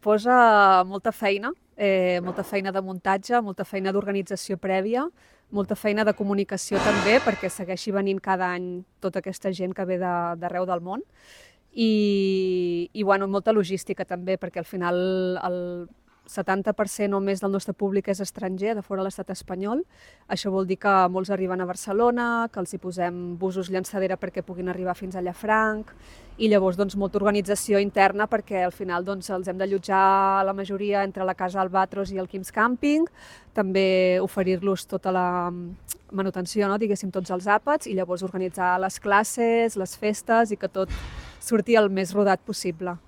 Posa molta feina de muntatge, molta feina d'organització prèvia, molta feina de comunicació també, perquè segueixi venint cada any tota aquesta gent que ve d'arreu del món. I bueno, molta logística també, perquè al final el 70% o més del nostre públic és estranger, de fora de l'estat espanyol. Això vol dir que molts arriben a Barcelona, que els hi posem busos llançadera perquè puguin arribar fins a Llafranc, i llavors doncs, molta organització interna perquè al final doncs, els hem d'allotjar la majoria entre la Casa Albatros i el Quim's Camping, també oferir-los tota la manutenció, no? Diguéssim, tots els àpats, i llavors organitzar les classes, les festes i que tot surti el més rodat possible.